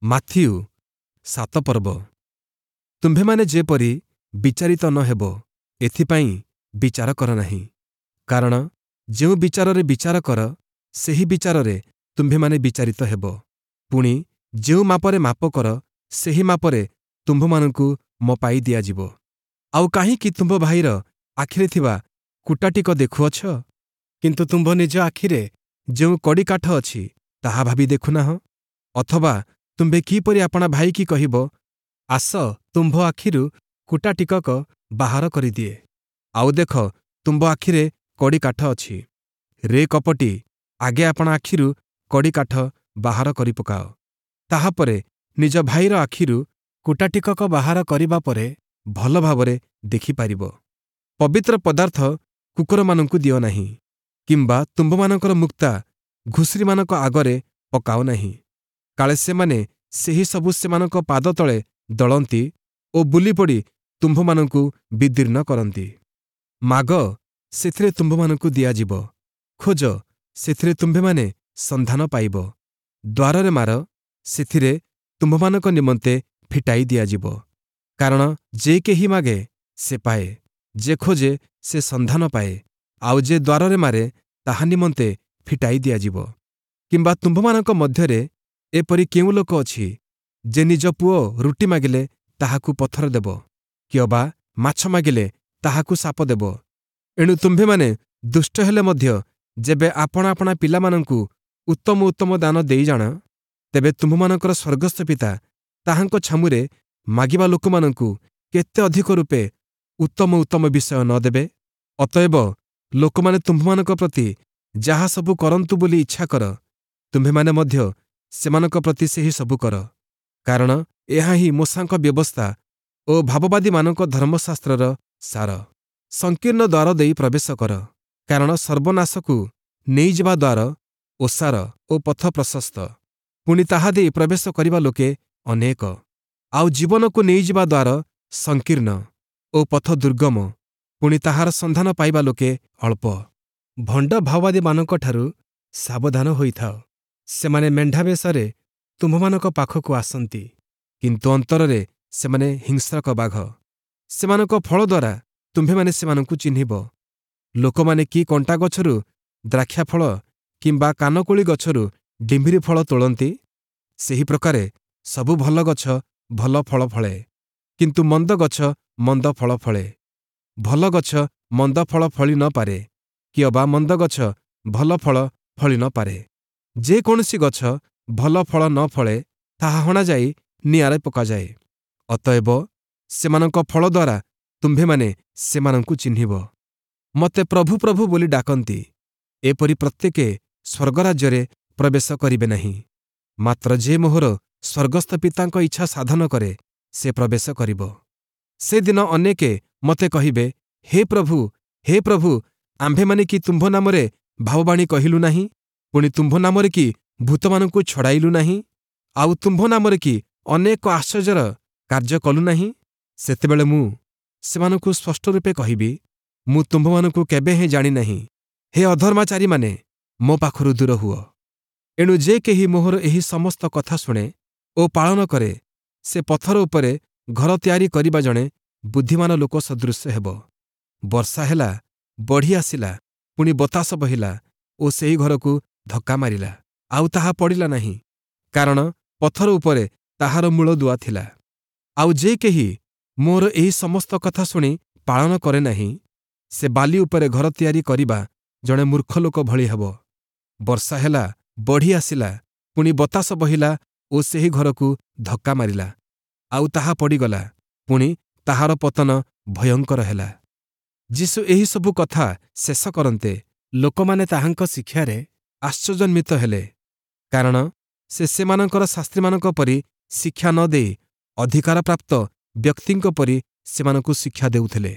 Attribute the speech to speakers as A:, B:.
A: Matthew 7 ପର୍ବ। ତୁମ୍ଭେମାନେ ଯେପରି ବିଚାରିତ ନ ହେବ, ଏଥିପାଇଁ ବିଚାର କର ନାହିଁ। କାରଣ ଯେଉଁ ବିଚାରରେ ବିଚାର କର, ସେହି ବିଚାରରେ ତୁମ୍ଭେମାନେ ବିଚାରିତ ହେବ। ପୁଣି ଯେଉଁ ମାପରେ ମାପ କର, ସେହି ମାପରେ ତୁମ୍ଭମାନଙ୍କୁ ମପାଇ ଦିଆଯିବ। ଆଉ କାହିଁକି ତୁମ୍ଭ ଭାଇର ଆଖିରେ ଥିବା କୁଟାଟିକ ଦେଖୁଅଛ, କିନ୍ତୁ ତୁମ୍ଭ ନିଜ ଆଖିରେ ଯେଉଁ କଡ଼ିକାଠ ଅଛି, ତାହା ଭାବି ଦେଖୁନାହଁ? ଅଥବା ତୁମ୍ଭେ କିପରି ଆପଣା ଭାଇକି କହିବ, ଆସ ତୁମ୍ଭ ଆଖିରୁ କୁଟା ଟିକକ ବାହାର କରିଦିଏ, ଆଉ ଦେଖ ତୁମ୍ଭ ଆଖିରେ କଡ଼ିକାଠ ଅଛି? ରେ କପଟୀ, ଆଗେ ଆପଣା ଆଖିରୁ କଡ଼ିକାଠ ବାହାର କରିପକାଅ, ତାହାପରେ ନିଜ ଭାଇର ଆଖିରୁ କୁଟା ଟିକକ ବାହାର କରିବା ପରେ ଭଲ ଭାବରେ ଦେଖିପାରିବ। ପବିତ୍ର ପଦାର୍ଥ କୁକୁରମାନଙ୍କୁ ଦିଅ ନାହିଁ, କିମ୍ବା ତୁମ୍ଭମାନଙ୍କର ମୁକ୍ତା ଘୁଷୁରିମାନଙ୍କ ଆଗରେ ପକାଅ ନାହିଁ, କାଳେ ସେମାନେ ସେହି ସବୁ ସେମାନଙ୍କ ପାଦ ତଳେ ଦଳନ୍ତି ଓ ବୁଲିପଡ଼ି ତୁମ୍ଭମାନଙ୍କୁ ବିଦୀର୍ଣ୍ଣ କରନ୍ତି। ମାଗ, ସେଥିରେ ତୁମ୍ଭମାନଙ୍କୁ ଦିଆଯିବ; ଖୋଜ, ସେଥିରେ ତୁମ୍ଭେମାନେ ସନ୍ଧାନ ପାଇବ; ଦ୍ୱାରରେ ମାର, ସେଥିରେ ତୁମ୍ଭମାନଙ୍କ ନିମନ୍ତେ ଫିଟାଇ ଦିଆଯିବ। କାରଣ ଯେ କେହି ମାଗେ, ସେ ପାଏ; ଯେ ଖୋଜେ, ସେ ସନ୍ଧାନ ପାଏ; ଆଉ ଯେ ଦ୍ୱାରରେ ମାରେ, ତାହା ନିମନ୍ତେ ଫିଟାଇ ଦିଆଯିବ। କିମ୍ବା ତୁମ୍ଭମାନଙ୍କ ମଧ୍ୟରେ ଏପରି କେଉଁ ଲୋକ ଅଛି, ଯେ ନିଜ ପୁଅ ରୁଟି ମାଗିଲେ ତାହାକୁ ପଥର ଦେବ, କିଅବା ମାଛ ମାଗିଲେ ତାହାକୁ ସାପ ଦେବ? ଏଣୁ ତୁମ୍ଭେମାନେ ଦୁଷ୍ଟ ହେଲେ ମଧ୍ୟ ଯେବେ ଆପଣା ଆପଣା ପିଲାମାନଙ୍କୁ ଉତ୍ତମ ଉତ୍ତମ ଦାନ ଦେଇ ଜାଣ, ତେବେ ତୁମ୍ଭମାନଙ୍କର ସ୍ୱର୍ଗସ୍ଥ ପିତା ତାହାଙ୍କ ଛାମୁରେ ମାଗିବା ଲୋକମାନଙ୍କୁ କେତେ ଅଧିକ ରୂପେ ଉତ୍ତମ ଉତ୍ତମ ବିଷୟ ନ ଦେବେ? ଅତଏବ ଲୋକମାନେ ତୁମ୍ଭମାନଙ୍କ ପ୍ରତି ଯାହା ସବୁ କରନ୍ତୁ ବୋଲି ଇଚ୍ଛା କର, ତୁମ୍ଭେମାନେ ମଧ୍ୟ ସେମାନଙ୍କ ପ୍ରତି ସେହି ସବୁ କର। କାରଣ ଏହା ହିଁ ମୋଶାଙ୍କ ବ୍ୟବସ୍ଥା ଓ ଭାବବାଦୀମାନଙ୍କ ଧର୍ମଶାସ୍ତ୍ରର ସାର। ସଂକୀର୍ଣ୍ଣ ଦ୍ୱାର ଦେଇ ପ୍ରବେଶ କର, କାରଣ ସର୍ବନାଶକୁ ନେଇଯିବା ଦ୍ୱାର ଓସାର ଓ ପଥ ପ୍ରଶସ୍ତ, ପୁଣି ତାହା ଦେଇ ପ୍ରବେଶ କରିବା ଲୋକେ ଅନେକ। ଆଉ ଜୀବନକୁ ନେଇଯିବା ଦ୍ୱାର ସଂକୀର୍ଣ୍ଣ ଓ ପଥ ଦୁର୍ଗମ, ପୁଣି ତାହାର ସନ୍ଧାନ ପାଇବା ଲୋକେ ଅଳ୍ପ। ଭଣ୍ଡ ଭାବବାଦୀମାନଙ୍କଠାରୁ ସାବଧାନ ହୋଇଥାଅ। ସେମାନେ ମେଣ୍ଢାବେଶରେ ତୁମ୍ଭମାନଙ୍କ ପାଖକୁ ଆସନ୍ତି, କିନ୍ତୁ ଅନ୍ତରରେ ସେମାନେ ହିଂସ୍ରକ ବାଘ। ସେମାନଙ୍କ ଫଳ ଦ୍ୱାରା ତୁମ୍ଭେମାନେ ସେମାନଙ୍କୁ ଚିହ୍ନିବ। ଲୋକମାନେ କି କଣ୍ଟା ଗଛରୁ ଦ୍ରାକ୍ଷାଫଳ କିମ୍ବା କାନକୋଳି ଗଛରୁ ଡିମ୍ବିରି ଫଳ ତୋଳନ୍ତି? ସେହି ପ୍ରକାରେ ସବୁ ଭଲ ଗଛ ଭଲ ଫଳ ଫଳେ, କିନ୍ତୁ ମନ୍ଦ ଗଛ ମନ୍ଦ ଫଳ ଫଳେ। ଭଲ ଗଛ ମନ୍ଦ ଫଳ ଫଳି ନ ପାରେ, କିଅବା ମନ୍ଦ ଗଛ ଭଲ ଫଳ ଫଳି ନ ପାରେ। ଯେ କୌଣସି ଗଛ ଭଲ ଫଳ ନ ଫଳେ, ତାହା ହଣାଯାଇ ନିଆଁରେ ପକାଯାଏ। ଅତଏବ ସେମାନଙ୍କ ଫଳ ଦ୍ୱାରା ତୁମ୍ଭେମାନେ ସେମାନଙ୍କୁ ଚିହ୍ନିବ। ମୋତେ ପ୍ରଭୁ ପ୍ରଭୁ ବୋଲି ଡାକନ୍ତି, ଏପରି ପ୍ରତ୍ୟେକେ ସ୍ୱର୍ଗରାଜ୍ୟରେ ପ୍ରବେଶ କରିବେ ନାହିଁ, ମାତ୍ର ଯେ ମୋହର ସ୍ୱର୍ଗସ୍ଥ ପିତାଙ୍କ ଇଚ୍ଛା ସାଧନ କରେ, ସେ ପ୍ରବେଶ କରିବ। ସେଦିନ ଅନେକେ ମୋତେ କହିବେ, ହେ ପ୍ରଭୁ, ହେ ପ୍ରଭୁ, ଆମ୍ଭେମାନେ କି ତୁମ୍ଭ ନାମରେ ଭାବବାଣୀ କହିଲୁ ନାହିଁ? ପୁଣି ତୁମ୍ଭ ନାମରେ କି ଭୂତମାନଙ୍କୁ ଛଡ଼ାଇଲୁ ନାହିଁ? ଆଉ ତୁମ୍ଭ ନାମରେ କି ଅନେକ ଆଶ୍ଚର୍ଯ୍ୟର କାର୍ଯ୍ୟ କଲୁ ନାହିଁ? ସେତେବେଳେ ମୁଁ ସେମାନଙ୍କୁ ସ୍ପଷ୍ଟ ରୂପେ କହିବି, ମୁଁ ତୁମ୍ଭମାନଙ୍କୁ କେବେ ହେଁ ଜାଣିନାହିଁ। ହେ ଅଧର୍ମାଚାରୀମାନେ, ମୋ ପାଖରୁ ଦୂର ହୁଅ। ଏଣୁ ଯେ କେହି ମୋହର ଏହି ସମସ୍ତ କଥା ଶୁଣେ ଓ ପାଳନ କରେ, ସେ ପଥର ଉପରେ ଘର ତିଆରି କରିବା ଜଣେ ବୁଦ୍ଧିମାନ ଲୋକ ସଦୃଶ ହେବ। ବର୍ଷା ହେଲା, ବଢ଼ି ଆସିଲା, ପୁଣି ବତାସ ବହିଲା ଓ ସେହି ଘରକୁ ଧକ୍କା ମାରିଲା, ଆଉ ତାହା ପଡ଼ିଲା ନାହିଁ, କାରଣ ପଥର ଉପରେ ତାହାର ମୂଳଦୁଆ ଥିଲା। ଆଉ ଯେ କେହି ମୋର ଏହି ସମସ୍ତ କଥା ଶୁଣି ପାଳନ କରେ ନାହିଁ, ସେ ବାଲି ଉପରେ ଘର ତିଆରି କରିବା ଜଣେ ମୂର୍ଖ ଲୋକ ଭଳି ହେବ। ବର୍ଷା ହେଲା, ବଢ଼ି ଆସିଲା, ପୁଣି ବତାସ ବହିଲା ଓ ସେହି ଘରକୁ ଧକ୍କା ମାରିଲା, ଆଉ ତାହା ପଡ଼ିଗଲା, ପୁଣି ତାହାର ପତନ ଭୟଙ୍କର ହେଲା। ଯୀଶୁ ଏହିସବୁ କଥା ଶେଷ କରନ୍ତେ,
B: ଲୋକମାନେ ତାହାଙ୍କ ଶିକ୍ଷାରେ
A: ଆଶ୍ଚର୍ଯ୍ୟାନ୍ୱିତ ହେଲେ, କାରଣ ସେ ସେମାନଙ୍କର ଶାସ୍ତ୍ରୀମାନଙ୍କ ପରି ଶିକ୍ଷା ନ ଦେଇ ଅଧିକାରପ୍ରାପ୍ତ ବ୍ୟକ୍ତିଙ୍କ ପରି ସେମାନଙ୍କୁ ଶିକ୍ଷା ଦେଉଥିଲେ।